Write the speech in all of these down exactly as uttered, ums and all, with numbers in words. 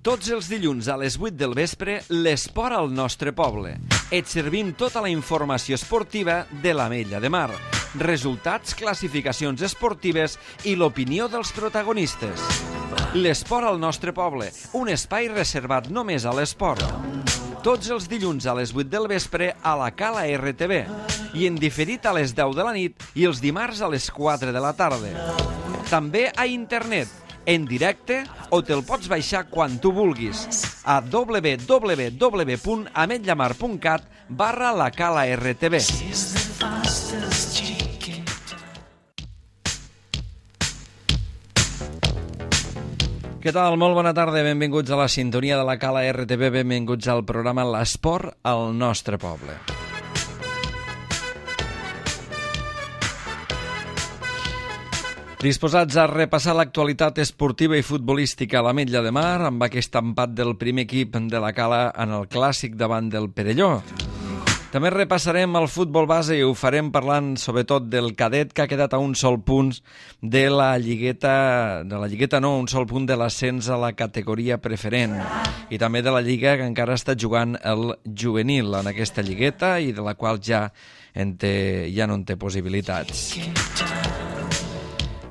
Tots els dilluns a les vuit del vespre, l'esport al nostre poble. Et servim tota la informació esportiva de l'Ametlla de Mar. Resultats, classificacions esportives i l'opinió dels protagonistes. L'esport al nostre poble, un espai reservat només a l'esport. Tots els dilluns a les vuit del vespre a la Cala R T V i en diferit a les deu de la nit i els dimarts a les quatre de la tarda. També a internet, en directe, o te'l pots baixar quan tu vulguis a w w w punt ametlamar punt cat barra la Cala R T V. Què tal? Molt bona tarda, benvinguts a la sintonia de la Cala R T V, benvinguts al programa L'Esport al nostre poble. Disposats a repassar l'actualitat esportiva i futbolística a l'Ametlla de Mar amb aquest empat del primer equip de la Cala en el clàssic davant del Perelló. També repassarem el futbol base i ho farem parlant sobretot del cadet que ha quedat a un sol punt de la lligueta, de la lligueta no, un sol punt de l'ascens a la categoria preferent i també de la lliga que encara està jugant el juvenil en aquesta lligueta i de la qual ja, en té, ja no en té possibilitats.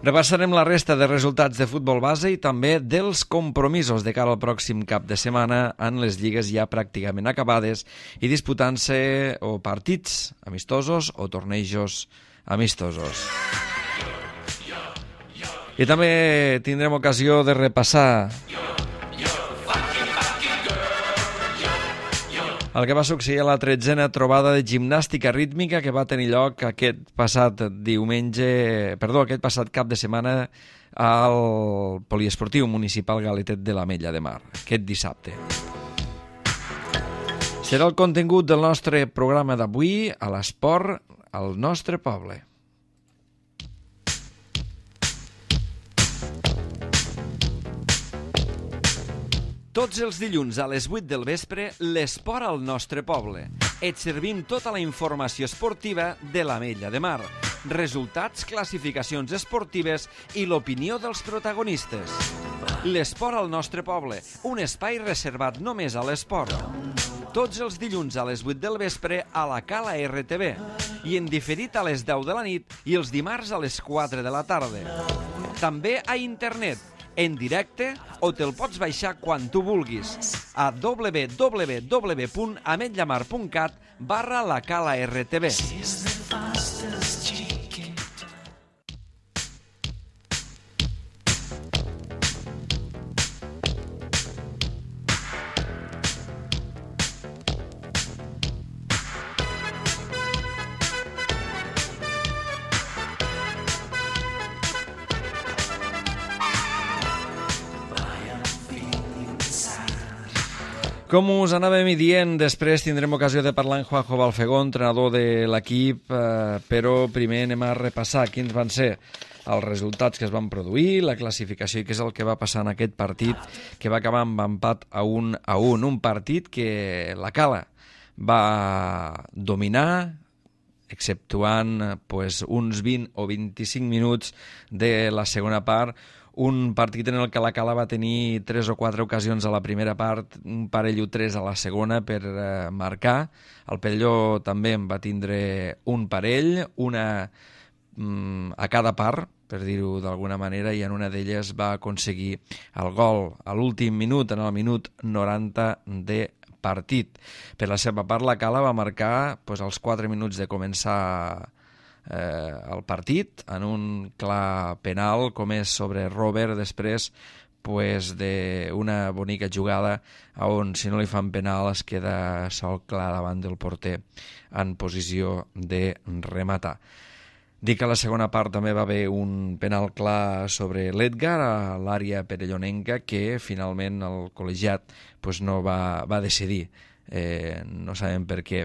Repassarem la resta de resultats de futbol base i també dels compromisos de cara al pròxim cap de setmana en les lligues ja pràcticament acabades i disputant-se o partits amistosos o tornejos amistosos. I també tindrem ocasió de repassar el que va succeir a la tretzena trobada de gimnàstica rítmica que va tenir lloc aquest passat diumenge, perdó, aquest passat cap de setmana al Poliesportiu Municipal Galetet de l'Ametlla de Mar, aquest dissabte. Serà el contingut del nostre programa d'avui a l'esport al nostre poble. Tots els dilluns a les vuit del vespre, l'esport al nostre poble. Et servim tota la informació esportiva de l'Ametlla de Mar. Resultats, classificacions esportives i l'opinió dels protagonistes. L'esport al nostre poble, un espai reservat només a l'esport. Tots els dilluns a les vuit del vespre a la Cala R T V i en diferit a les deu de la nit i els dimarts a les quatre de la tarda. També a internet, en directe, o te'l pots baixar quan tu vulguis a w w w punt ametlamar punt cat barra la Cala R T V. Com us anàvem dient, després tindrem ocasió de parlar amb Juanjo Balfegó, entrenador de l'equip, eh, però primer anem a repassar quins van ser els resultats que es van produir, la classificació i què és el que va passar en aquest partit que va acabar amb empat a un a un. Un partit que la Cala va dominar, exceptuant pues, uns vint o vint-i-cinc minuts de la segona part, un partit en el que la Cala va tenir tres o quatre ocasions a la primera part, un parell o tres a la segona per eh, marcar. El Perelló també en va tindre un parell, una mm, a cada part, per dir-ho d'alguna manera, i en una d'elles va aconseguir el gol a l'últim minut, en el minut noranta de partit. Per la seva part, la Cala va marcar pues, als quatre minuts de començar Eh, el partit en un clar penal com és sobre Robert després pues, d'una bonica jugada on si no li fan penal es queda sol clar davant del porter en posició de rematar. Dic que a la segona part també va haver un penal clar sobre l'Edgar a l'àrea perellonenca que finalment el col·legiat pues, no va, va decidir. Eh, no sabem per què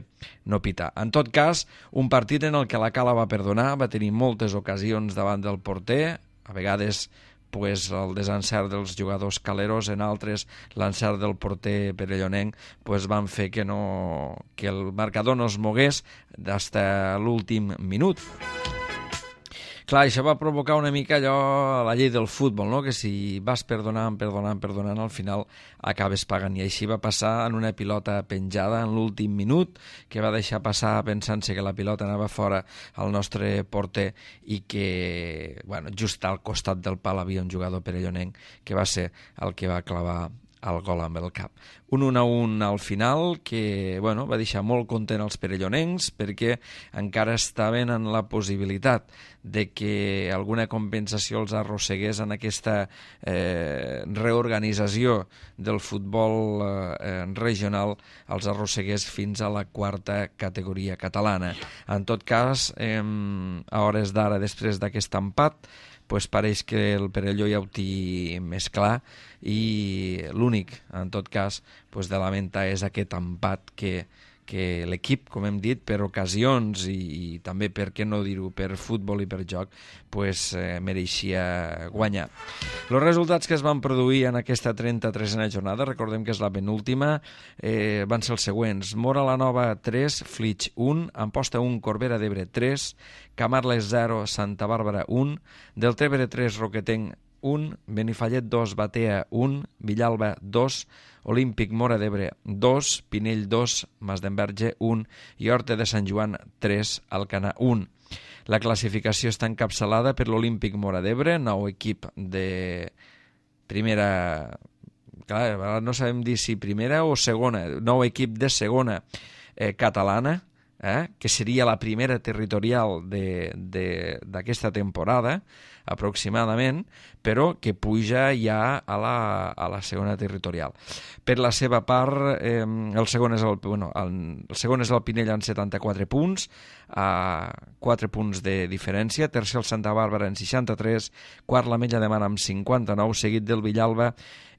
no pitar. En tot cas, un partit en el que la Cala va perdonar, va tenir moltes ocasions davant del porter, a vegades pues, el desencert dels jugadors caleros, en altres l'encert del porter perellonenc pues, van fer que, no, que el marcador no es mogués fins a l'últim minut. Clar, això va provocar una mica allò, la llei del futbol, no? Que si vas perdonant, perdonant, perdonant, al final acabes pagant. I així va passar en una pilota penjada en l'últim minut, que va deixar passar pensant-se que la pilota anava fora al nostre porter i que, bueno, just al costat del pal havia un jugador perellonenc que va ser el que va clavar el gol amb el cap. Un un a un al final que, bueno, va deixar molt content els perellonencs perquè encara estaven en la possibilitat de que alguna compensació els arrossegués en aquesta eh, reorganització del futbol eh, regional, els arrossegués fins a la quarta categoria catalana. En tot cas, eh, a hores d'ara, després d'aquest empat, pues pareix que el Perelló ja ho té més clar i l'únic, en tot cas, pues de lamentar és aquest empat que, que l'equip, com hem dit, per ocasions i, i també, per què no dir-ho, per futbol i per joc, pues, eh, mereixia guanyar. Els resultats que es van produir en aquesta trenta-tresena jornada, recordem que és la penúltima, eh, van ser els següents. Móra la Nova tres, Flix un, Amposta un, Corbera d'Ebre tres, Camarles zero, Santa Bàrbara un, Deltebre tres, Roquetenc un, Benifallet dos, Batea un, Villalba dos, Olímpic Móra d'Ebre dos, Pinell dos, Masdenverge un i Horta de Sant Joan tres, Alcanar un. La classificació està encapçalada per l'Olímpic Móra d'Ebre, nou equip de primera... Clar, no sabem dir si primera o segona, nou equip de segona eh, catalana, eh, que seria la primera territorial d'aquesta temporada, aproximadament, però que puja ja a la, a la segona territorial. Per la seva part, eh, el, segon és el, bueno, el, el segon és el Pinell amb setanta-quatre punts, a quatre punts de diferència, tercer el Santa Bàrbara en seixanta-tres, quart l'Ametlla de Mar amb cinquanta-nou, seguit del Villalba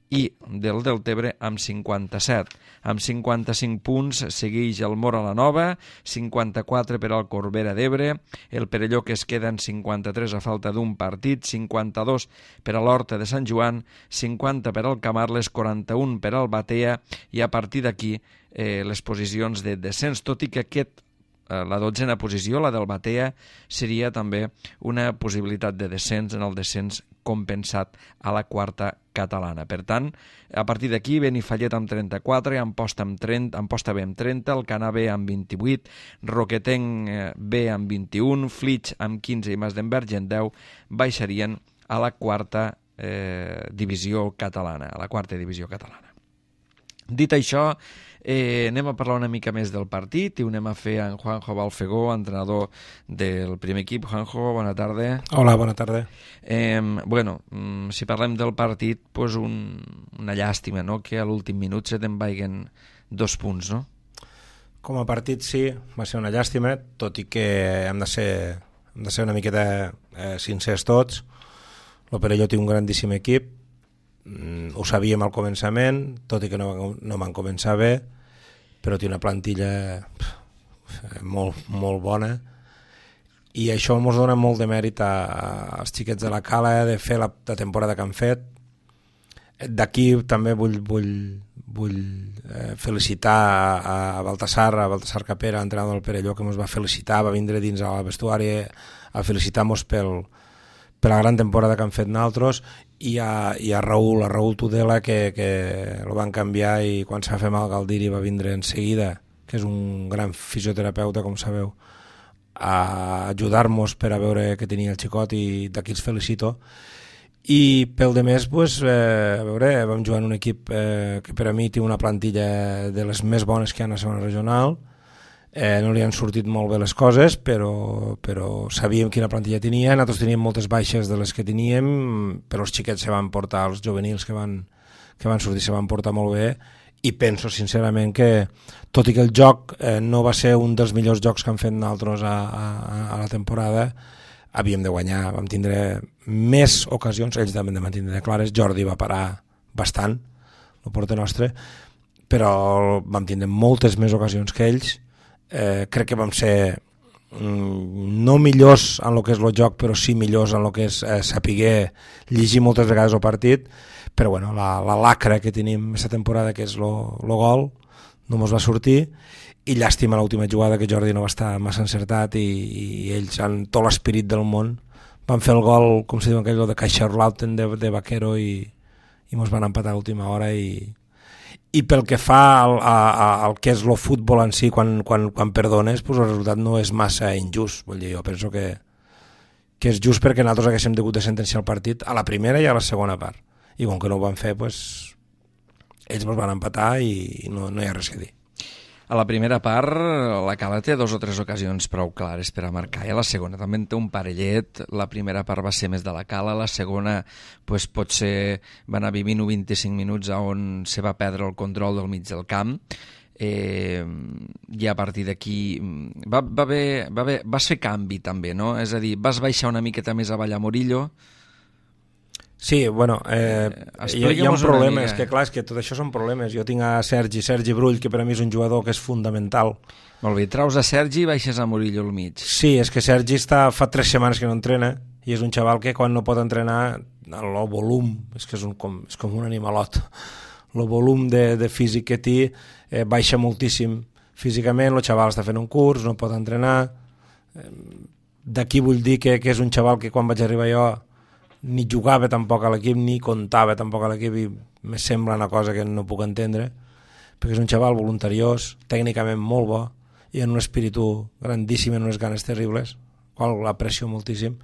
i del Deltebre amb cinquanta-set. Amb cinquanta-cinc punts segueix el Móra la Nova, cinquanta-quatre per al Corbera d'Ebre, el Perelló que es queda en cinquanta-tres a falta d'un partit, cinquanta-dos per a l'Horta de Sant Joan, cinquanta per al Camarles, quaranta-un per al Batea i a partir d'aquí eh, les posicions de descens, tot i que aquest la dotzena posició, la del Batea, seria també una possibilitat de descens en el descens compensat a la quarta catalana. Per tant, a partir d'aquí, Benifallet amb trenta-quatre, Amposta amb trenta, Amposta B amb trenta, Alcanar B amb vint-i-vuit, Roquetenc B amb vint-i-un, Flix amb quinze i Masdenverge en deu baixarien a la quarta eh, divisió catalana, a la quarta divisió catalana. Dit això, eh, anem a parlar una mica més del partit i ho anem a fer en Juanjo Balfegó, entrenador del primer equip. Juanjo, bona tarda. Hola, bona tarda. Eh, bueno, si parlem del partit, pues un, una llàstima, no?, que a l'últim minut se te'n vaiguen dos punts, no? Com a partit sí, va ser una llàstima, tot i que hem de ser, hem de ser una miqueta eh, sincers tots. El Perelló té un grandíssim equip, ho sabíem al començament, tot i que no, no van començar bé, però té una plantilla pff, molt, molt bona i això ens dona molt de mèrit a, als xiquets de la Cala de fer la, la temporada que han fet. D'aquí també vull, vull, vull eh, felicitar a, a Baltasar, a Baltasar Capera, entrenador del Perelló, que ens va felicitar, va vindre dins al vestuari a felicitar-nos pel per la gran temporada que han fet nosaltres, i a, i a Raül, a Raül Tudela, que, que el van canviar i quan se va fer mal Galdiri va vindre en seguida, que és un gran fisioterapeuta, com sabeu, a ajudar-nos per a veure què tenia el xicot, i d'aquí els felicito. I pel de més, pues, eh, a veure, vam jugar en un equip eh, que per a mi té una plantilla de les més bones que hi ha a la segona regional. Eh, no li han sortit molt bé les coses, però, però sabíem quina plantilla tenia. Nosaltres teníem moltes baixes de les que teníem, però els xiquets se van portar, els juvenils que van, que van sortir se van portar molt bé, i penso sincerament que, tot i que el joc eh, no va ser un dels millors jocs que han fet nosaltres a, a, a la temporada, havíem de guanyar. Vam tindre més ocasions, ells també van tindre clares. Jordi va parar bastant, el porter nostre, però vam tindre moltes més ocasions que ells. Eh, crec que vam ser mm, no millors en el que és el joc, però sí millors en el que és eh, saber llegir moltes vegades el partit, però bueno, la, la lacra que tenim aquesta temporada, que és el gol, no ens va sortir, i llàstima l'última jugada, que Jordi no va estar massa encertat, i, i ells, amb tot l'esperit del món, van fer el gol, com se diu aquell, de Kaiserslautern de, de Vaquero i, i mos van empatar a l'última hora i, i pel que fa al, a, a, al que és el futbol en si, quan, quan, quan perdones, pues el resultat no és massa injust. Vull dir, jo penso que, que és just perquè nosaltres haguéssim hagut de sentenciar el partit a la primera i a la segona part. I com que no ho van fer, pues, ells ens van empatar i no, no hi ha res a dir. A la primera part, la Cala té dos o tres ocasions prou clares per a marcar, i a la segona també en té un parellet. La primera part va ser més de la Cala, la segona pues, potser van haver vint o vint-i-cinc minuts on se va perdre el control del mig del camp, eh, i a partir d'aquí va, va haver, va haver, vas fer canvi també, no? És a dir, vas baixar una miqueta més avall a Murillo. Sí, bueno, eh, hi, hi ha un problema, és que clar, és que tot això són problemes. Jo tinc a Sergi, Sergi Brull, que per a mi és un jugador que és fundamental. Molt bé, traus a Sergi i baixes a Murillo al mig. Sí, és que Sergi està, fa tres setmanes que no entrena, i és un xaval que quan no pot entrenar, el volum, és que és, un, com, és com un animalot, el volum de, de físic que té eh, baixa moltíssim. Físicament, el xaval està fent un curs, no pot entrenar. Eh, D'aquí vull dir que, que és un xaval que quan vaig arribar jo ni jugava tampoc a l'equip, ni comptava tampoc a l'equip, i me sembla una cosa que no puc entendre, perquè és un xaval voluntariós, tècnicament molt bo, i en un espíritu grandíssim, en unes ganes terribles, qual l'aprecio moltíssim.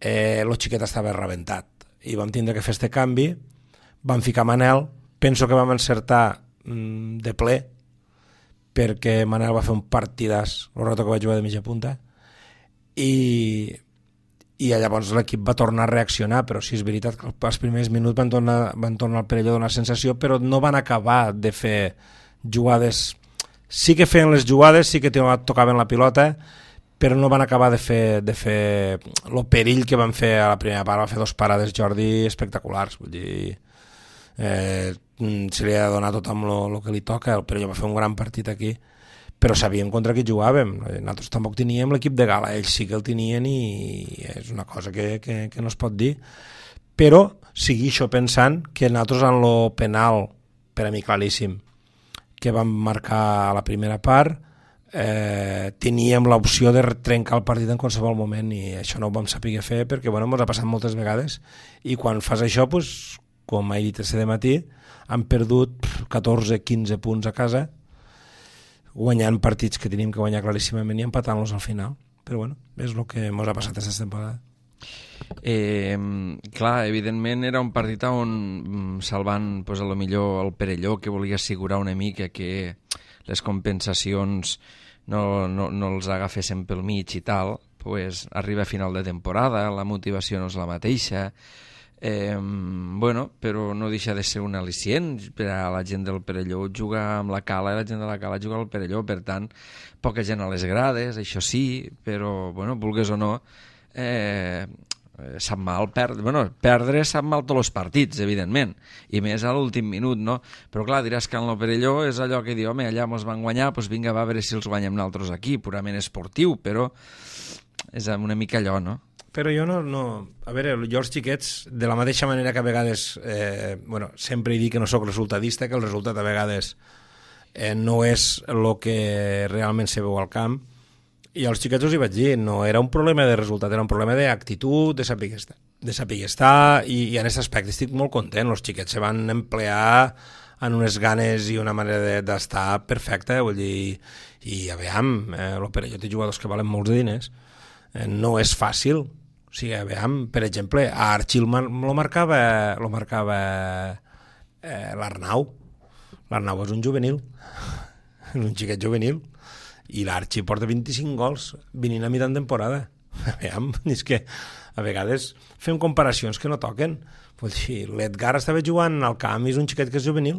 Eh, el xiquet estava rebentat, i vam tindre que fer este canvi, vam ficar Manel, penso que vam encertar mm, de ple, perquè Manel va fer un partidàs, el rato que vaig jugar de mitja punta, i... i llavors l'equip va tornar a reaccionar, però sí és veritat que els primers minuts van tornar, van tornar al Perelló a donar sensació, però no van acabar de fer jugades. Sí que feien les jugades, sí que tocaven la pilota, però no van acabar de fer, de fer el perill que van fer a la primera part. Va fer dos parades Jordi espectaculars, vull dir, eh, se li ha de donar tot amb el que li toca. El Perelló va fer un gran partit aquí, però sabíem contra qui jugàvem. Nosaltres tampoc teníem l'equip de gala, ells sí que el tenien, i és una cosa que, que, que no es pot dir. Però segueixo pensant que nosaltres en lo penal, per a mi claríssim, que vam marcar a la primera part, eh, teníem l'opció de trencar el partit en qualsevol moment, i això no ho vam saber fer perquè bueno, ens ha passat moltes vegades, i quan fas això, pues, com he dit aquest matí, han perdut catorze quinze punts a casa, guanyant partits que tenim que guanyar claríssimament i empatant-los al final. Però bueno, és el que ens ha passat aquesta temporada. Eh, clar, evidentment era un partit on, salvant pues, a lo millor el Perelló, que volia assegurar una mica que les compensacions no, no, no els agafessin pel mig i tal, pues, arriba a final de temporada, la motivació no és la mateixa. Eh, bueno, però no deixa de ser un al·licient per a la gent del Perelló jugar amb la Cala, i la gent de la Cala jugar al Perelló, per tant, poca gent a les grades, això sí, però, bueno, vulgues o no, eh, sap mal perdre, bueno, perdre sap mal tots els partits, evidentment, i més a l'últim minut, no? Però clar, diràs que en el Perelló és allò que diu, home, allà mos van guanyar, doncs vinga, va a veure si els guanyem nosaltres aquí, purament esportiu, però és una mica allò, no? Però jo no, no... A veure, jo els xiquets, de la mateixa manera que a vegades, eh, bueno, sempre he dit que no sóc resultadista, que el resultat a vegades eh, no és el que realment se veu al camp, i als xiquets us hi vaig dir, no era un problema de resultat, era un problema d'actitud, de saber estar, de saber estar, i, i en aquest aspecte estic molt content. Els xiquets se van emplear en unes ganes i una manera d'estar perfecta, vull dir, i a veure, eh, el Perelló té jugadors que valen molts diners, eh, no és fàcil. O sigui, a veure, per exemple, a Archil lo marcava, lo marcava eh, l'Arnau. L'Arnau és un juvenil, és un xiquet juvenil, i l'Archi porta vint-i-cinc gols venint a mitjan temporada. A veure, és que a vegades fem comparacions que no toquen. Vull dir, l'Edgar estava jugant al camp i és un xiquet que és juvenil.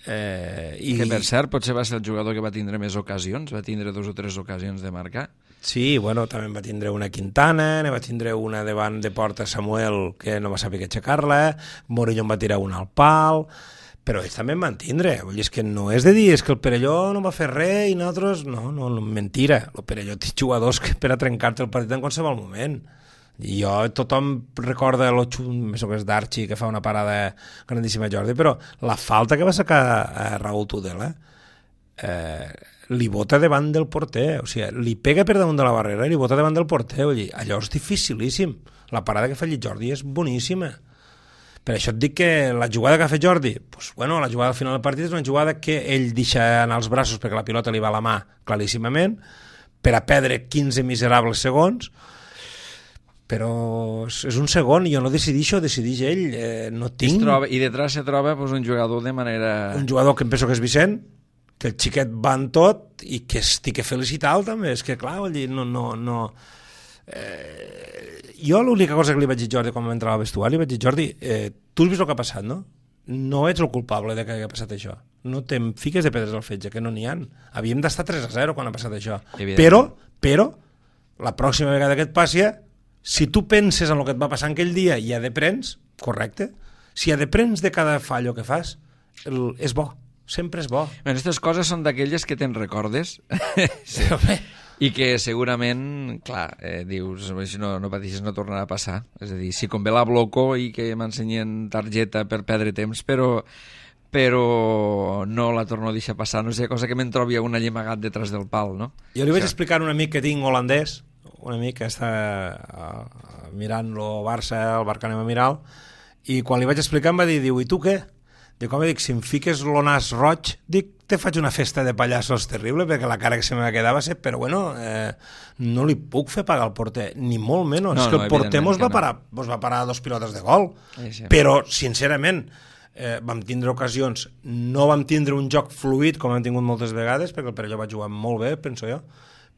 Eh, i... Que per cert potser va ser el jugador que va tindre més ocasions, va tindre dos o tres ocasions de marcar. Sí, bueno, també va tindre una Quintana, ne va tindre una davant de porta Samuel que no va saber que aixecar-la, Morillo en va tirar una al pal, però ells també en van tindre. Vull dir, és que no és de dir, és que el Perelló no va fer res i nosaltres... No, no, no, mentira. El Perelló té jugadors que per a trencar-te el partit en qualsevol moment. I jo, tothom recorda el més o més d'Archi, que fa una parada grandíssima a Jordi, però la falta que va sacar a Raúl Tudela, eh, li bota davant del porter, o sigui, li pega per damunt de la barrera i li bota davant del porter, vull dir, allò és dificilíssim. La parada que fa el Jordi és boníssima. Per això et dic que la jugada que ha fet Jordi, pues, bueno, la jugada al final del partit és una jugada que ell deixa anar els braços perquè la pilota li va a la mà claríssimament, per a perdre quinze miserables segons, però és un segon, jo no decidixo, decidix ell, eh, no tinc... Troba, I detrás se troba pues, un jugador de manera... Un jugador que em penso que és Vicent, que el xiquet va en tot i que estic que felicitar-lo també, és que clar, vull dir, no... no, no eh, jo l'única cosa que li vaig dir a Jordi quan vam entrar al vestuari, li vaig dir, Jordi, eh, tu has vist el que ha passat, no? No ets el culpable de que hagi passat això. No te'n fiques de pedres al fetge, que no n'hi ha. Havíem d'estar tres a zero quan ha passat això. Però, però, la pròxima vegada que et passi, si tu penses en el que et va passar aquell dia i ja deprens, correcte, si ja deprens de cada fallo que fas, el, és bo, sempre és bo. Aquestes coses són d'aquelles que te'n recordes. Sí. I que segurament, clar, eh, dius, si no, no pateixes no tornarà a passar. És a dir, si convé la bloco i que m'ensenyen targeta per perdre temps, però però no la torno a deixar passar. No sé, cosa que me'n trobi un allemagat detrás del pal, no? Jo li vaig explicar a un amic que tinc holandès, un amic que està uh, mirant el Barça, el Barça anem a mirar, i quan li vaig explicar em va dir, diu, i tu què? Dic, home, dic, si em fiques l'o nas roig, dic, te faig una festa de pallassos terrible, perquè la cara que se me va quedar va ser, però bueno, eh, no li puc fer pagar al porter, ni molt menys, no, és que el no, porter mos va, parar, no. mos va parar dos pilotes de gol, sí, sí. Però, sincerament, eh, vam tindre ocasions, no vam tindre un joc fluid com hem tingut moltes vegades, perquè el Perelló va jugar molt bé, penso jo,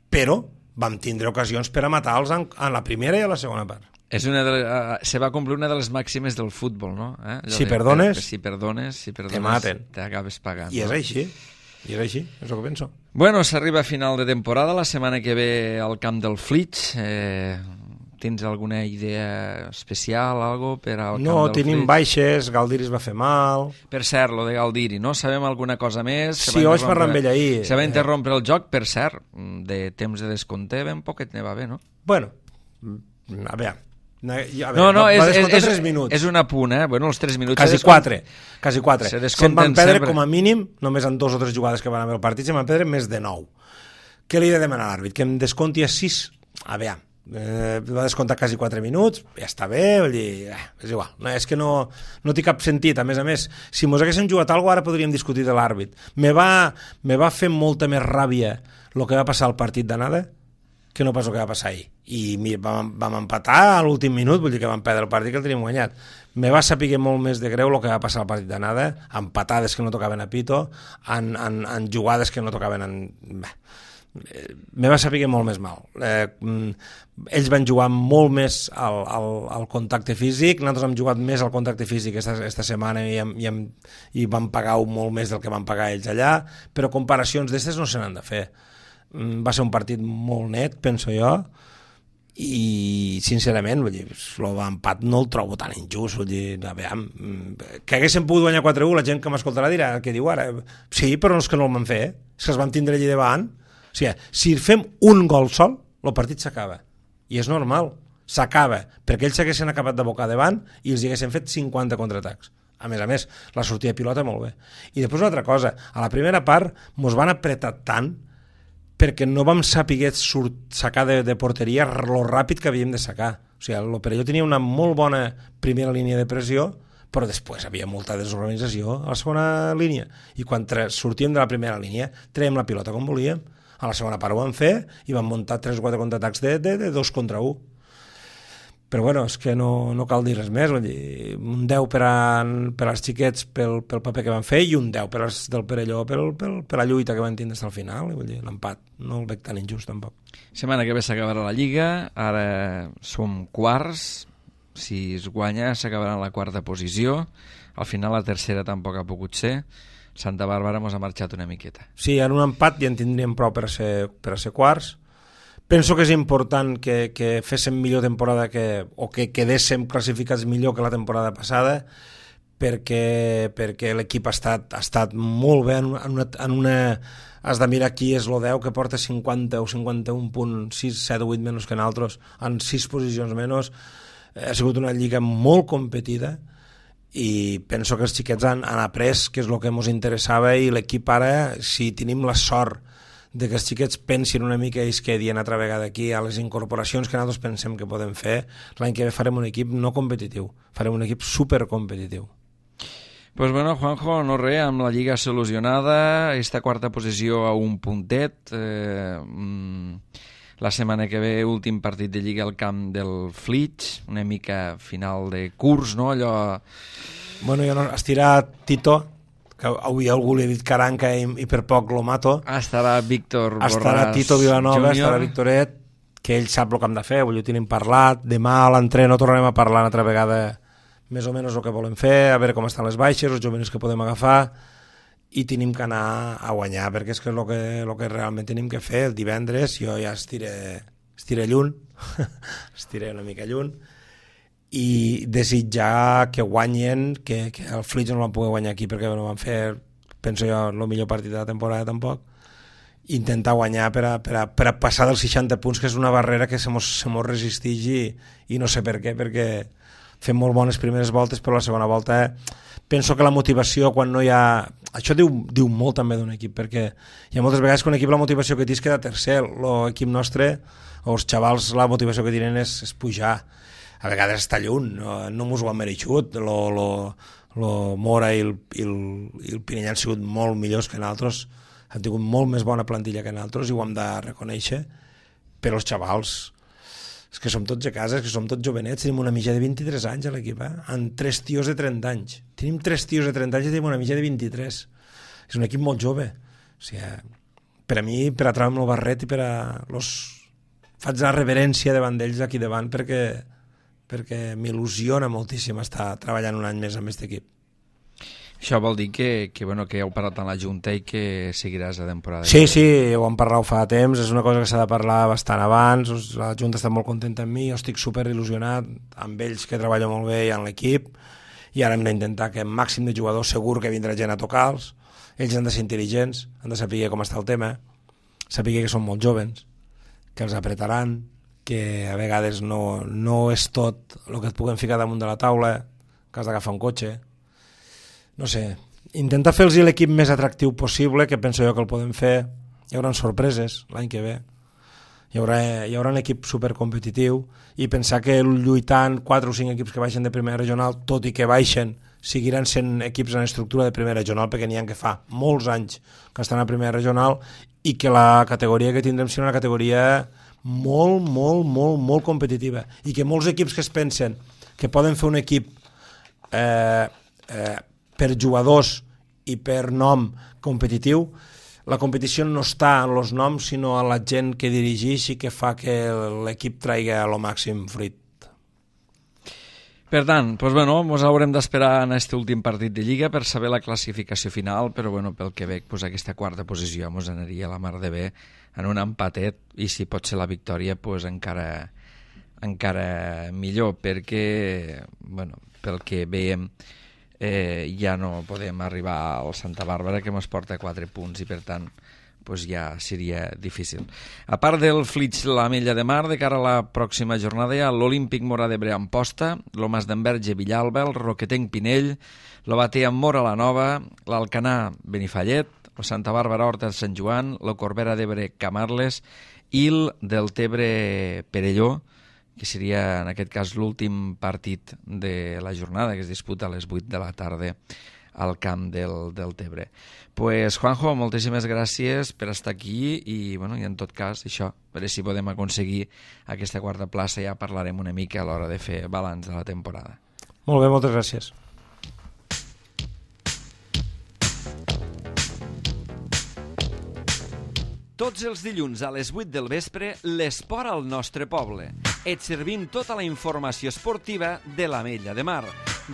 però vam tindre ocasions per a matar-los en, en la primera i a la segona part. És una de les, uh, se va complir una de les màximes del futbol, no? Eh? Si de, perdones, per, si perdones, si perdones, te maten. T'acabes pagant. I és no? així, i és així, és el que penso. Bueno, s'arriba a final de temporada, la setmana que ve al camp del Flix. Eh, tens alguna idea especial, algo per al camp no, del tenim Flix? baixes, Galdiri es va fer mal... Per cert, lo de Galdiri, no? Sabem alguna cosa més? Sí, ho vaig parlar amb ell ahir. Se va interrompre el joc, per cert, de temps de descompte, ben poquet ne va bé, no? Bueno, a veure... A veure, no, no, va és, és, tres minuts. és una punt, eh? Bueno, els tres minuts... Quasi quatre, quasi quatre. Se se'n van perdre sempre. Com a mínim, només en dos o tres jugades que van haver el partit, se'n van perdre més de nou. Què li he de demanar a l'àrbit? Que em desconti a sis... A veure, eh, va descomptar quasi quatre minuts, ja està bé, vull dir, eh, és igual. No, és que no, no té cap sentit. A més a més, si mos haguéssim jugat alguna cosa, ara podríem discutir de l'àrbit. Me va, me va fer molta més ràbia el que va passar al partit d'anada que no pas el que va passar ahir. I mira, vam, vam empatar a l'últim minut, vull dir que vam perdre el partit que el teníem guanyat. Me va saber molt més de greu el que va passar al partit d'anada, empatades que no tocaven a pito, en, en, en jugades que no tocaven en... Bé, me va saber molt més mal. Eh, ells van jugar molt més al, al, al contacte físic, nosaltres hem jugat més al contacte físic esta, esta setmana i, hem, i, hem, i vam pagar molt més del que van pagar ells allà, però comparacions d'aquestes no se n'han de fer. Va ser un partit molt net, penso jo, i sincerament, vull dir, l'empat no el trobo tan injust, vull dir, a veure, que haguéssim pogut guanyar quatre a u, la gent que m'escoltarà dirà què diu ara, sí, però no és que no el van fer, eh? És que els vam tindre allà davant, o sigui, si fem un gol sol, el partit s'acaba, i és normal, s'acaba, perquè ells s'haguessin acabat de bocar davant i els haguessin fet cinquanta contraatacs. A més a més, la sortida de pilota molt bé. I després una altra cosa, a la primera part mos van apretar tant perquè no vam saber sacar de, de porteria lo ràpid que havíem de sacar. O sigui, el Perelló tenia una molt bona primera línia de pressió, però després havia molta desorganització a la segona línia. I quan sortíem de la primera línia, traiem la pilota com volíem. A la segona part ho vam fer i vam muntar tres o quatre contraatacs de, de, de dos contra un. Però bueno, és que no, no cal dir res més, vull dir, un deu per, a, per als xiquets pel, pel paper que van fer i un deu per als del Perelló pel, pel, per la lluita que van tindre fins al final, vull dir, l'empat no el veig tan injust tampoc. Setmana que ve s'acabarà la Lliga, ara som quarts, si es guanya s'acabarà en la quarta posició, al final la tercera tampoc ha pogut ser, Santa Bàrbara mos ha marxat una miqueta. Sí, en un empat ja en tindríem prou per a ser, per a ser quarts. Penso que és important que, que féssim millor temporada que, o que quedéssim classificats millor que la temporada passada perquè, perquè l'equip ha estat, ha estat molt bé en una, en una... Has de mirar qui és el deu que porta cinquanta o cinquanta-un punts, sis, set o vuit menys que nosaltres, en sis posicions menys. Ha sigut una lliga molt competida i penso que els xiquets han, han après que és el que ens interessava i l'equip ara, si tenim la sort de que els xiquets pensin una mica i es quedin altra vegada aquí, a les incorporacions que nosaltres pensem que podem fer, l'any que ve farem un equip no competitiu, farem un equip supercompetitiu. Pues bueno, Juanjo, no res, amb la Lliga solucionada, esta quarta posició a un puntet, eh, la setmana que ve últim partit de Lliga al camp del Flix, una mica final de curs, no? Allò... Bueno, jo no, estirà Tito, que avui algú li ha dit Caranca i, i per poc lo mato. Estarà Víctor Borràs Estarà Tito Vilanova, Júnior. Estarà Victoret, que ell sap el que hem de fer, avui ho tenim parlat, demà a l'entreno tornarem a parlar una altra vegada més o menys el que volem fer, a veure com estan les baixes, els joves que podem agafar, i tenim que anar a guanyar, perquè és que és el que, el que realment tenim que fer. El divendres jo ja estiré, estiré lluny, estiré una mica lluny, i desitjar que guanyen, que, que el Flix no van poder guanyar aquí perquè no van fer, penso jo, el millor partit de la temporada tampoc, intentar guanyar per a, per a, per a passar dels seixanta punts, que és una barrera que se mos, se mos resisteix i, i no sé per què, perquè fem molt bones primeres voltes, però la segona volta penso que la motivació quan no hi ha... Això diu, diu molt també d'un equip, perquè hi ha moltes vegades que un equip la motivació que té és quedar tercer, l'equip nostre o els xavals la motivació que tenen és, és pujar, a vegades està lluny, no, no mos ho han mereixut, lo, lo, lo Mora i el, i, el, i el Pinell han sigut molt millors que nosaltres, han tingut molt més bona plantilla que nosaltres i ho hem de reconèixer, però els xavals és que som tots a casa, és que som tots jovenets, tenim una mitja de vint-i-tres anys a l'equip, eh? Amb tres tios de trenta anys. Tenim tres tios de trenta anys i tenim una mitja de vint-i-tres. És un equip molt jove. O sigui, per a mi, per a treure'm el barret i per a... Los... Faig la reverència davant d'ells aquí davant perquè, perquè m'il·lusiona moltíssim estar treballant un any més amb aquest equip. Això vol dir que, que, bueno, que heu parlat amb la Junta i que seguiràs la temporada. Sí, sí, ho hem parlat fa temps, és una cosa que s'ha de parlar bastant abans, la Junta està molt contenta amb mi, jo estic super il·lusionat amb ells que treballen molt bé i amb l'equip, i ara hem d'intentar que el màxim de jugadors segur que vindrà gent a tocar-los, ells han de ser intel·ligents, han de saber com està el tema, saber que són molt jovens, que els apretaran, que a vegades no, no és tot el que et puguem ficar damunt de la taula, que has d'agafar un cotxe. No sé, intentar fer-los l'equip més atractiu possible, que penso jo que el podem fer. Hi haurà sorpreses l'any que ve, hi haurà, hi haurà un equip supercompetitiu, i pensar que lluitant quatre o cinc equips que baixen de primera regional, tot i que baixen, seguiran sent equips en estructura de primera regional, perquè n'hi ha que fa molts anys que estan a primera regional, i que la categoria que tindrem serà una categoria molt, molt, molt, molt competitiva, i que molts equips que es pensen que poden fer un equip eh, eh, per jugadors i per nom competitiu, la competició no està en els noms sinó en la gent que dirigeix i que fa que l'equip traiga el màxim fruit. Per tant, doncs, bueno, ens haurem d'esperar en aquest últim partit de Lliga per saber la classificació final, però bueno, pel que veig, doncs, aquesta quarta posició ens anaria a la mar de bé en un empatet, i si pot ser la victòria, doncs, encara, encara millor, perquè, bueno, pel que veiem, Eh, ja no podem arribar al Santa Bàrbara, que ens porta quatre punts, i per tant pues ja seria difícil. A part del Flix l'Ametlla de Mar, de cara a la pròxima jornada hi ha l'Olímpic Mora d'Ebre Amposta, lo Mas d'Enverge Villalba, el Roquetenc Pinell, lo Batea Mora la Nova, l'Alcanar Benifallet, el Santa Bàrbara Horta de Sant Joan, lo Corbera d'Ebre Camarles i el del Tebre Perelló, que seria en aquest cas l'últim partit de la jornada, que es disputa a les vuit de la tarda al camp del, del Tebre. Pues, Juanjo, moltíssimes gràcies per estar aquí i, bueno, i en tot cas, això, a veure si podem aconseguir aquesta quarta plaça, ja parlarem una mica a l'hora de fer balanç de la temporada. Molt bé, moltes gràcies. Tots els dilluns a les vuit del vespre, l'esport al nostre poble. Et servim tota la informació esportiva de l'Ametlla de Mar,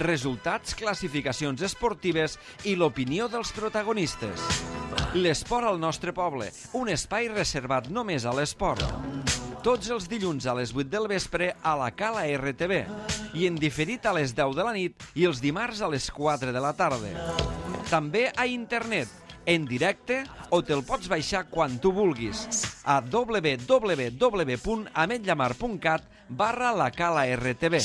resultats, classificacions esportives i l'opinió dels protagonistes. L'esport al nostre poble, un espai reservat només a l'esport. Tots els dilluns a les vuit del vespre a la Cala R T V i en diferit a les deu de la nit i els dimarts a les quatre de la tarda. També a internet, en directe, o te'l pots baixar quan tu vulguis a w w w punt ametllamar punt cat barra la Cala R T V.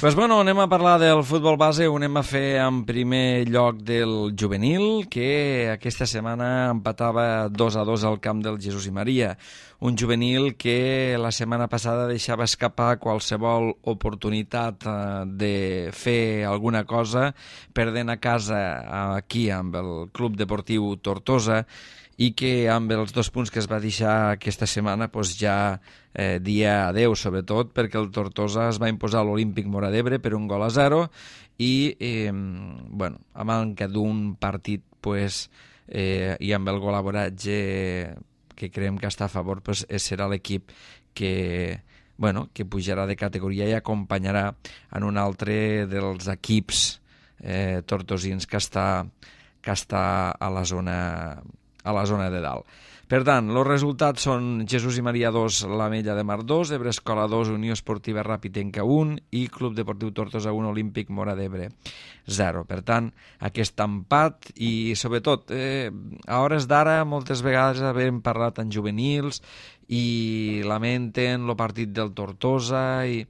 Pues bueno, anem a parlar del futbol base, ho anem a fer en primer lloc del juvenil, que aquesta setmana empatava dos a dos al camp del Jesús i Maria. Un juvenil que la setmana passada deixava escapar qualsevol oportunitat de fer alguna cosa, perdent a casa aquí amb el Club Deportiu Tortosa, i que amb els dos punts que es va deixar aquesta setmana doncs ja eh, dia adeu, sobretot perquè el Tortosa es va imposar a l'Olímpic Móra d'Ebre per un gol a zero i eh, bueno, a manca d'un partit pues, eh, i amb el golaboratge que creiem que està a favor, pues, serà l'equip que, bueno, que pujarà de categoria i acompanyarà en un altre dels equips eh, tortosins que està, que està a la zona a la zona de dalt. Per tant, els resultats són Jesús i Maria dos, l'Ametlla de Mar dos, Ebre Escola dos, Unió Esportiva Ràpitenca un i Club Deportiu Tortosa un, Olímpic Móra d'Ebre zero. Per tant, aquest empat i, sobretot, eh, a hores d'ara, moltes vegades havem parlat en juvenils i lamenten el partit del Tortosa i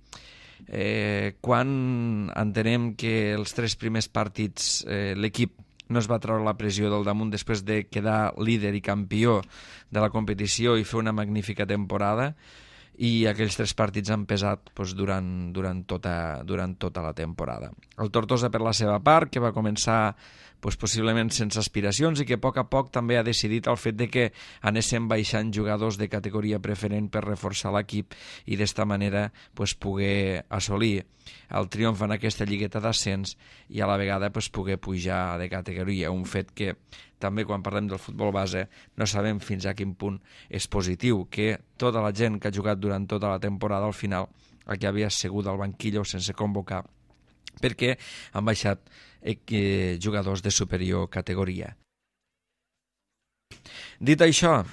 eh, quan entenem que els tres primers partits eh, l'equip no es va treure la pressió del damunt després de quedar líder i campió de la competició i fer una magnífica temporada, i aquells tres partits han pesat doncs, durant, durant, tota, durant tota la temporada. El Tortosa, per la seva part, que va començar doncs, possiblement sense aspiracions i que a poc a poc també ha decidit el fet de que anéssim baixant jugadors de categoria preferent per reforçar l'equip i d'esta manera doncs, poder assolir el triomf en aquesta lligueta d'ascens i a la vegada doncs, poder pujar de categoria, un fet que també quan parlem del futbol base no sabem fins a quin punt és positiu, que tota la gent que ha jugat durant tota la temporada al final el que havia assegut al banquillo sense convocar perquè han baixat eh, jugadors de superior categoria. Dit això,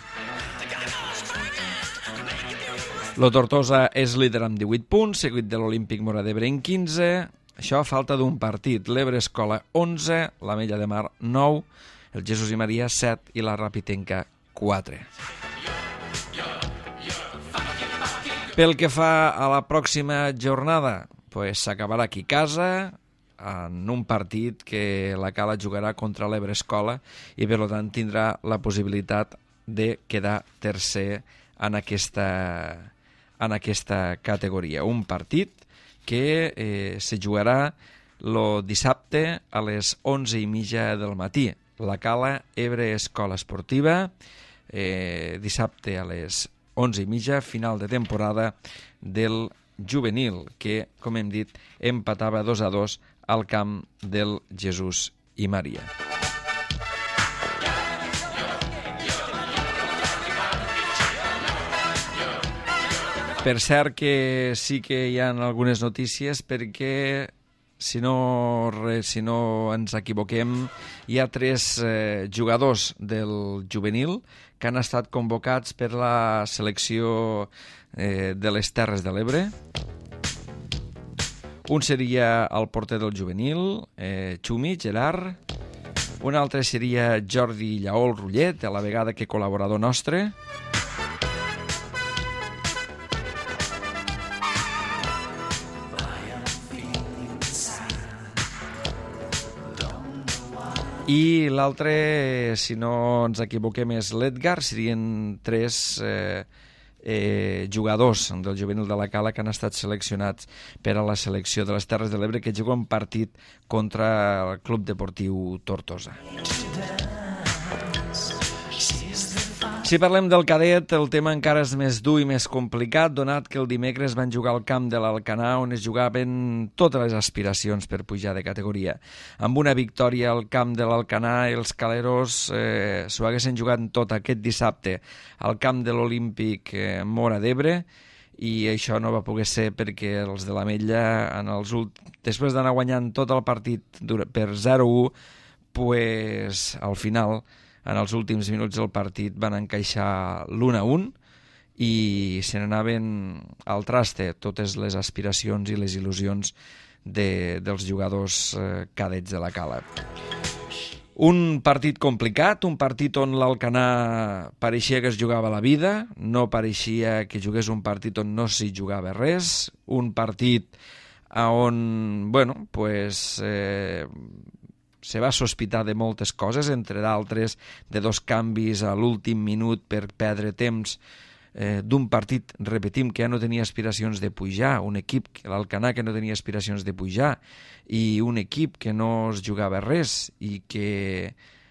el Tortosa és líder amb divuit punts, seguit de l'Olímpic Móra d'Ebre en quinze, això a falta d'un partit, l'Ebre Escola onze, l'Ametlla de Mar nou, el Jesús i Maria set i la Ràpitenca quatre. Pel que fa a la pròxima jornada, pues s'acabarà aquí a casa en un partit que la Cala jugarà contra l'Ebre Escola i per tant tindrà la possibilitat de quedar tercer en aquesta, en aquesta categoria. Un partit que eh, se jugarà el dissabte a les onze i mitja del matí. La Cala Ebre Escola Esportiva, eh, dissabte a les onze i mitja, final de temporada del juvenil, que, com hem dit, empatava dos a dos al camp del Jesús i Maria. Per cert que sí que hi ha algunes notícies perquè si no, si no ens equivoquem, hi ha tres eh, jugadors del juvenil que han estat convocats per la selecció eh, de les Terres de l'Ebre. Un seria el porter del juvenil, eh, Xumi, Gerard. Un altre seria Jordi Llaol Rullet, a la vegada que col·laborador nostre. I l'altre, si no ens equivoquem, és l'Edgar. Serien tres eh, eh, jugadors del juvenil de la Cala que han estat seleccionats per a la selecció de les Terres de l'Ebre, que juguen un partit contra el Club Deportiu Tortosa. Si parlem del cadet, el tema encara és més dur i més complicat, donat que el dimecres van jugar al camp de l'Alcanar, on es jugaven totes les aspiracions per pujar de categoria. Amb una victòria al camp de l'Alcanar, els caleros eh, s'ho haguessin jugat tot aquest dissabte al camp de l'Olímpic eh, Móra d'Ebre, i això no va poder ser perquè els de l'Ametlla, en els ult... després d'anar guanyant tot el partit per zero a u, pues, al final, en els últims minuts del partit, van encaixar l'un a un i se n'anaven al traste totes les aspiracions i les il·lusions de, dels jugadors eh, cadets de la Cala. Un partit complicat, un partit on l'Alcanar pareixia que es jugava la vida, no pareixia que jugués un partit on no s'hi jugava res, un partit on, bueno, pues, eh, se va sospitar de moltes coses, entre d'altres de dos canvis a l'últim minut per perdre temps eh, d'un partit, repetim, que ja no tenia aspiracions de pujar, un equip, l'Alcanar, que no tenia aspiracions de pujar, i un equip que no es jugava res i que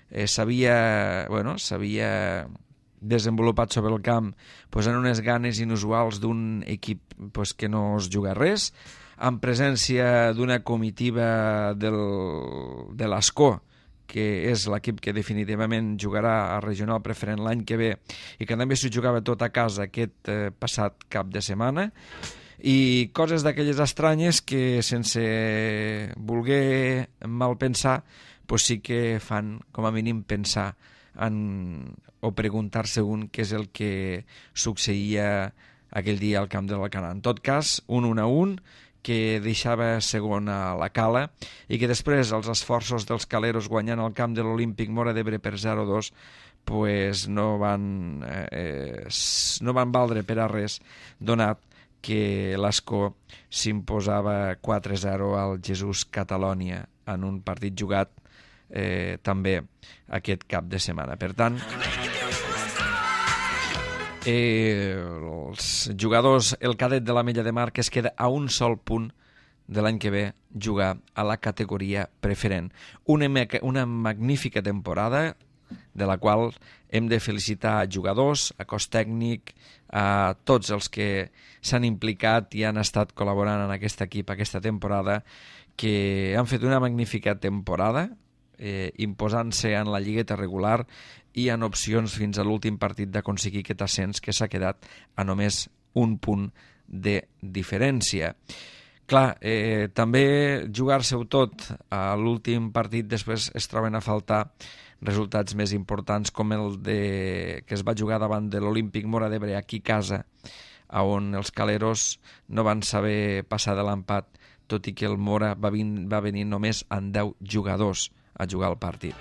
eh, s'havia, bueno, s'havia desenvolupat sobre el camp pues, en unes ganes inusuals d'un equip pues, que no es juga res, en presència d'una comitiva del, de l'Ascó, que és l'equip que definitivament jugarà a regional preferent l'any que ve i que també s'ho jugava tot a casa aquest eh, passat cap de setmana, i coses d'aquelles estranyes que sense voler mal pensar pues sí que fan com a mínim pensar en, o preguntar-se un què és el que succeïa aquell dia al camp de l'Alcanar. En tot cas, un un a un, que deixava segon a la Cala i que després els esforços dels caleros guanyant el camp de l'Olímpic Móra d'Ebre per zero a dos pues no van eh, no van valdre per a res, donat que l'Ascó s'imposava quatre a zero al Jesús Catalònia en un partit jugat eh, també aquest cap de setmana. Per tant, Eh, els jugadors, el cadet de l'Ametlla de Mar, que es queda a un sol punt de l'any que ve jugar a la categoria preferent. Una, una magnífica temporada de la qual hem de felicitar a jugadors, a cos tècnic, a tots els que s'han implicat i han estat col·laborant en aquest equip aquesta temporada, que han fet una magnífica temporada, eh, imposant-se en la lligueta regular i en opcions fins a l'últim partit d'aconseguir aquest ascens, que s'ha quedat a només un punt de diferència. Clar, eh, també jugar-se-ho tot a l'últim partit, després es troben a faltar resultats més importants com el de, que es va jugar davant de l'Olímpic Móra d'Ebre aquí a casa, on els caleros no van saber passar de l'empat, tot i que el Móra va, vin, va venir només amb deu jugadors a jugar el partit.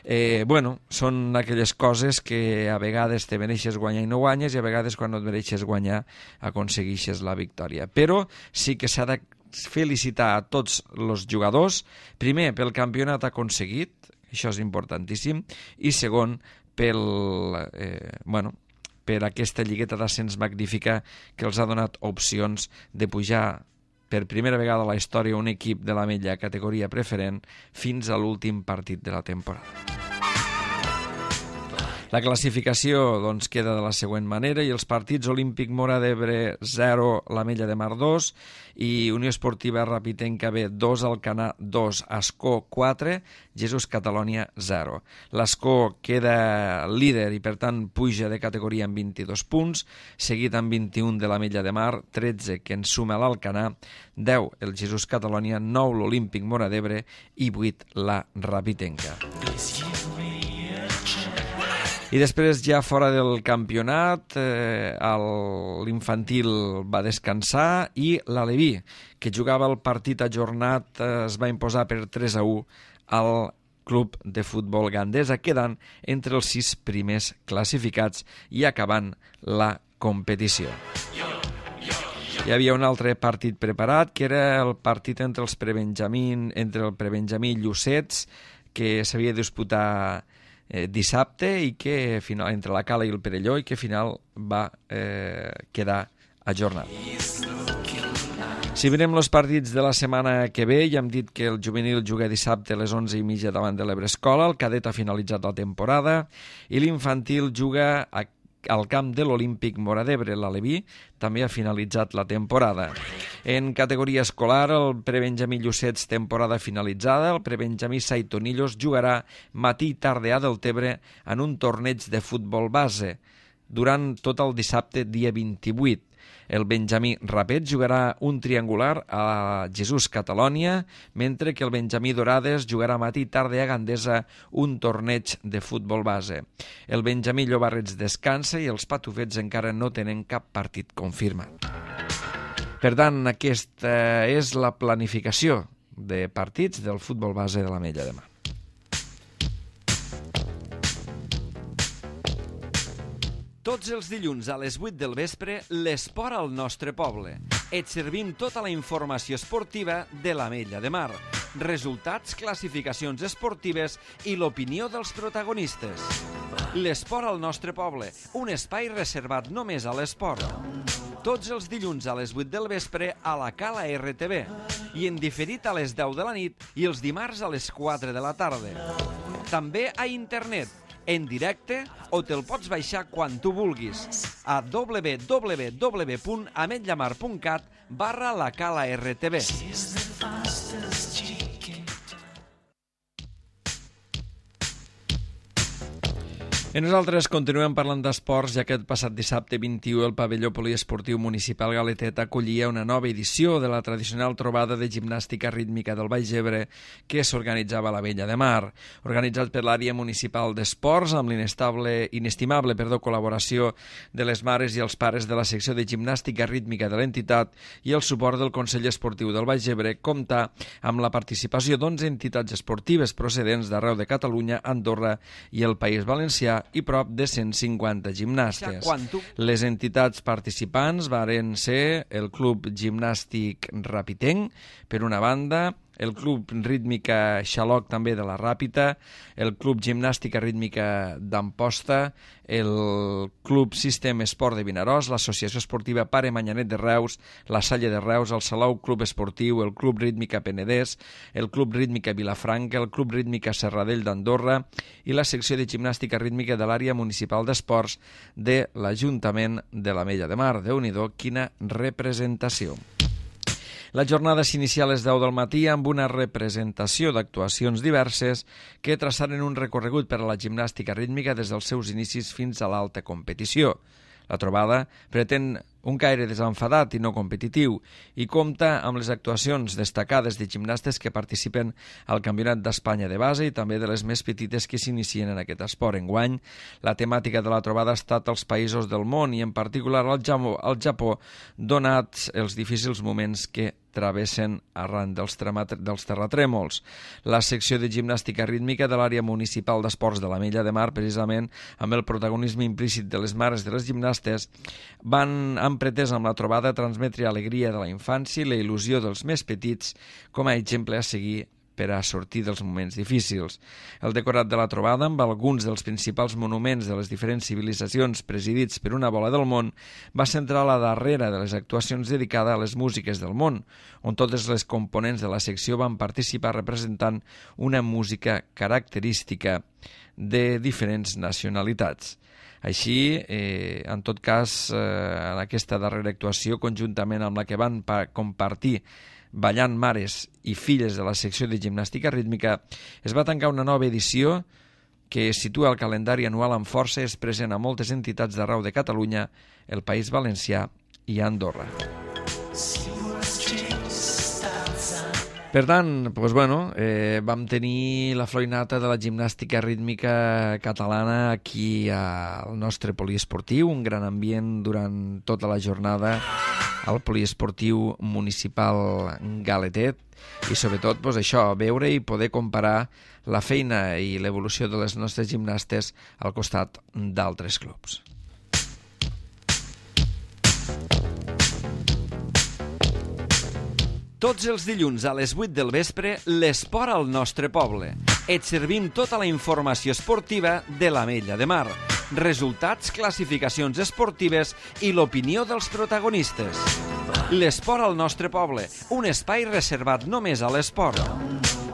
Eh, bueno, són aquelles coses que a vegades te mereixes guanyar i no guanyes, i a vegades quan no et mereixes guanyar aconsegueixes la victòria. Però sí que s'ha de felicitar a tots els jugadors, primer pel campionat aconseguit, això és importantíssim, i segon pel, eh, bueno, per aquesta lligueta d'ascens magnífica que els ha donat opcions de pujar per primera vegada a la història un equip de l'Ametlla categoria preferent fins a l'últim partit de la temporada. La classificació doncs, queda de la següent manera, i els partits: Olímpic Móra d'Ebre zero, l'Ametlla de Mar dos, i Unió Esportiva Rapitenca B dos, Alcanar dos, Ascó quatre, Jesús Catalònia zero. L'Ascó queda líder i per tant puja de categoria amb vint-i-dos punts, seguit amb vint-i-un de l'Ametlla de Mar, tretze que en suma l'Alcanar, deu el Jesús Catalònia, nou l'Olímpic Móra d'Ebre i vuit la Rapitenca. I després, ja fora del campionat, eh, l'infantil va descansar i l'Aleví, que jugava el partit ajornat, eh, es va imposar per tres a u al Club de Futbol Gandesa, quedant entre els sis primers classificats i acabant la competició. Hi havia un altre partit preparat, que era el partit entre els prebenjamí, entre el prebenjamí i Llucets, que s'havia de disputar Eh, dissabte, i que final, entre la Cala i el Perelló, i que al final va eh, quedar ajornat. Si mirem els partits de la setmana que ve, ja hem dit que el juvenil juga dissabte a les onze i mitja davant de l'Ebre Escola, el cadet ha finalitzat la temporada i l'infantil juga a al camp de l'Olímpic Móra d'Ebre. L'Aleví també ha finalitzat la temporada. En categoria escolar, el prebenjamí Llucets, temporada finalitzada. El prebenjamí Saitonillos jugarà matí i tarda a Deltebre en un torneig de futbol base durant tot el dissabte, dia vint-i-vuit. El benjamí Rapet jugarà un triangular a Jesús Catalònia, mentre que el benjamí Dorades jugarà matí i tarda a Gandesa un torneig de futbol base. El benjamí Llobarrets descansa i els patufets encara no tenen cap partit confirmat. Per tant, aquesta és la planificació de partits del futbol base de l'Ametlla de Mar. Tots els dilluns a les vuit del vespre, l'esport al nostre poble. Et servim tota la informació esportiva de l'Ametlla de Mar. Resultats, classificacions esportives i l'opinió dels protagonistes. L'esport al nostre poble, un espai reservat només a l'esport. Tots els dilluns a les vuit del vespre a la Cala R T V i en diferit a les deu de la nit i els dimarts a les quatre de la tarda. També a internet, en directe o te'l pots baixar quan tu vulguis a w w w punt ametllamar punt cat barra la Cala R T V. I nosaltres continuem parlant d'esports, ja que el passat dissabte vint-i-u el pavelló poliesportiu municipal Galetet acollia una nova edició de la tradicional trobada de gimnàstica rítmica del Baix Ebre que s'organitzava a l'Ametlla de Mar. Organitzat per l'àrea municipal d'esports amb l'inestable, inestimable perdó, col·laboració de les mares i els pares de la secció de gimnàstica rítmica de l'entitat i el suport del Consell Esportiu del Baix Ebre, compta amb la participació d'onze entitats esportives procedents d'arreu de Catalunya, Andorra i el País Valencià i prop de cent cinquanta gimnastes. Les entitats participants varen ser el Club Gimnàstic Rapitenc, per una banda, el Club Rítmica Xaloc, també de la Ràpita, el Club Gimnàstica Rítmica d'Amposta, el Club Sistem Esport de Vinaròs, l'Associació Esportiva Pare Manyanet de Reus, la Salle de Reus, el Salou Club Esportiu, el Club Rítmica Penedès, el Club Rítmica Vilafranca, el Club Rítmica Serradell d'Andorra i la secció de gimnàstica rítmica de l'àrea municipal d'esports de l'Ajuntament de l'Ametlla de Mar. Déu-n'hi-do, quina representació! La jornada s'inicia a les deu del matí amb una representació d'actuacions diverses que traçaren un recorregut per a la gimnàstica rítmica des dels seus inicis fins a l'alta competició. La trobada pretén un caire desenfadat i no competitiu i compta amb les actuacions destacades de gimnastes que participen al Campionat d'Espanya de base i també de les més petites que s'inicien en aquest esport. Enguany, la temàtica de la trobada ha estat els països del món i en particular el Japó, el Japó donats els difícils moments que travessen arran dels, dels terratrèmols. La secció de gimnàstica rítmica de l'àrea municipal d'esports de l'Ametlla de Mar, precisament amb el protagonisme implícit de les mares de les gimnastes, van, han pretès amb la trobada transmetre alegria de la infància i la il·lusió dels més petits com a exemple a seguir per a sortir dels moments difícils. El decorat de la trobada, amb alguns dels principals monuments de les diferents civilitzacions presidits per una bola del món, va centrar la darrera de les actuacions dedicada a les músiques del món, on totes les components de la secció van participar representant una música característica de diferents nacionalitats. Així, eh, en tot cas, eh, en aquesta darrera actuació, conjuntament amb la que van compartir ballant mares i filles de la secció de gimnàstica rítmica, es va tancar una nova edició que situa el calendari anual amb força, és present a moltes entitats d'arreu de Catalunya, el País Valencià i Andorra. Per tant, doncs, bueno, eh, vam tenir la florinata de la gimnàstica rítmica catalana aquí al nostre poliesportiu, un gran ambient durant tota la jornada al poliesportiu municipal Galetet i sobretot doncs, això, veure i poder comparar la feina i l'evolució de les nostres gimnastes al costat d'altres clubs. Tots els dilluns a les vuit del vespre, l'esport al nostre poble. Et servim tota la informació esportiva de l'Ametlla de Mar. Resultats, classificacions esportives i l'opinió dels protagonistes. L'esport al nostre poble, un espai reservat només a l'esport.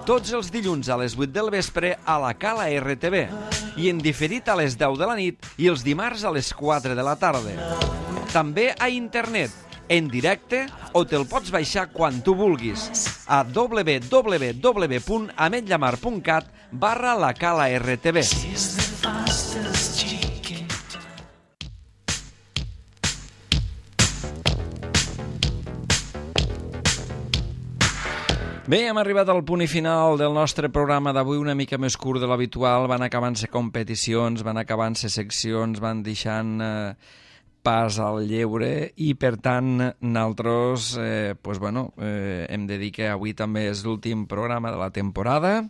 Tots els dilluns a les vuit del vespre a la Cala R T V i en diferit a les deu de la nit i els dimarts a les quatre de la tarda. També a internet, en directe o te'l pots baixar quan tu vulguis a w w w punt ametllamar punt cat barra la Cala R T V. Bé, hem arribat al punt i final del nostre programa d'avui, una mica més curt de l'habitual. Van acabant-se competicions, van acabant-se seccions, van deixant eh, pas al lleure i, per tant, nosaltres eh, pues, bueno, eh, hem de dir que avui també és l'últim programa de la temporada.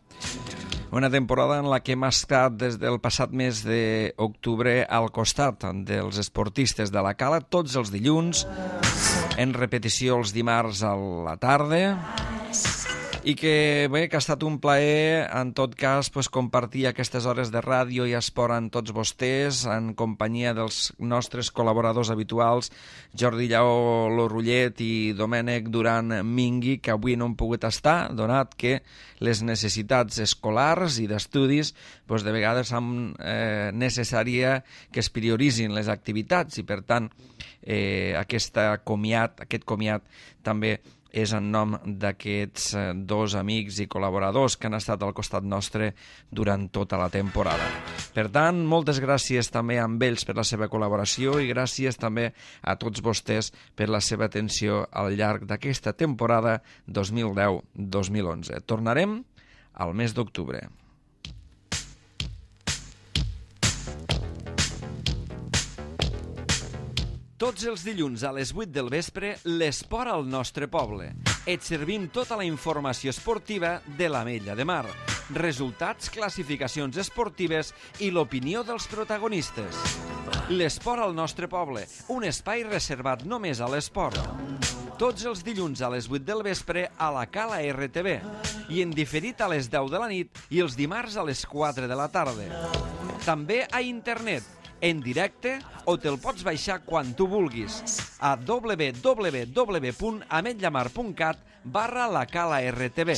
Una temporada en la que hem estat des del passat mes d'octubre al costat dels esportistes de la Cala, tots els dilluns, en repetició els dimarts a la tarda, i que bé, que ha estat un plaer en tot cas pues, compartir aquestes hores de ràdio i esport amb tots vostès, en companyia dels nostres col·laboradors habituals, Jordi Lleó Lorullet i Domènec Duran Mingui, que avui no han pogut estar, donat que les necessitats escolars i d'estudis pues, de vegades són eh, necessària que es prioritzin les activitats i per tant eh, aquesta comiat, aquest comiat també és en nom d'aquests dos amics i col·laboradors que han estat al costat nostre durant tota la temporada. Per tant, moltes gràcies també a ells per la seva col·laboració i gràcies també a tots vostès per la seva atenció al llarg d'aquesta temporada dos mil deu dos mil onze. Tornarem al mes d'octubre. Tots els dilluns a les vuit del vespre, l'esport al nostre poble. Et servim tota la informació esportiva de l'Ametlla de Mar, resultats, classificacions esportives i l'opinió dels protagonistes. L'esport al nostre poble, un espai reservat només a l'esport. Tots els dilluns a les vuit del vespre a la Cala R T V i en diferit a les deu de la nit i els dimarts a les quatre de la tarda. També a internet, en directe o te'l pots baixar quan tu vulguis a w w w punt ametllamar punt cat barra la cala R T V.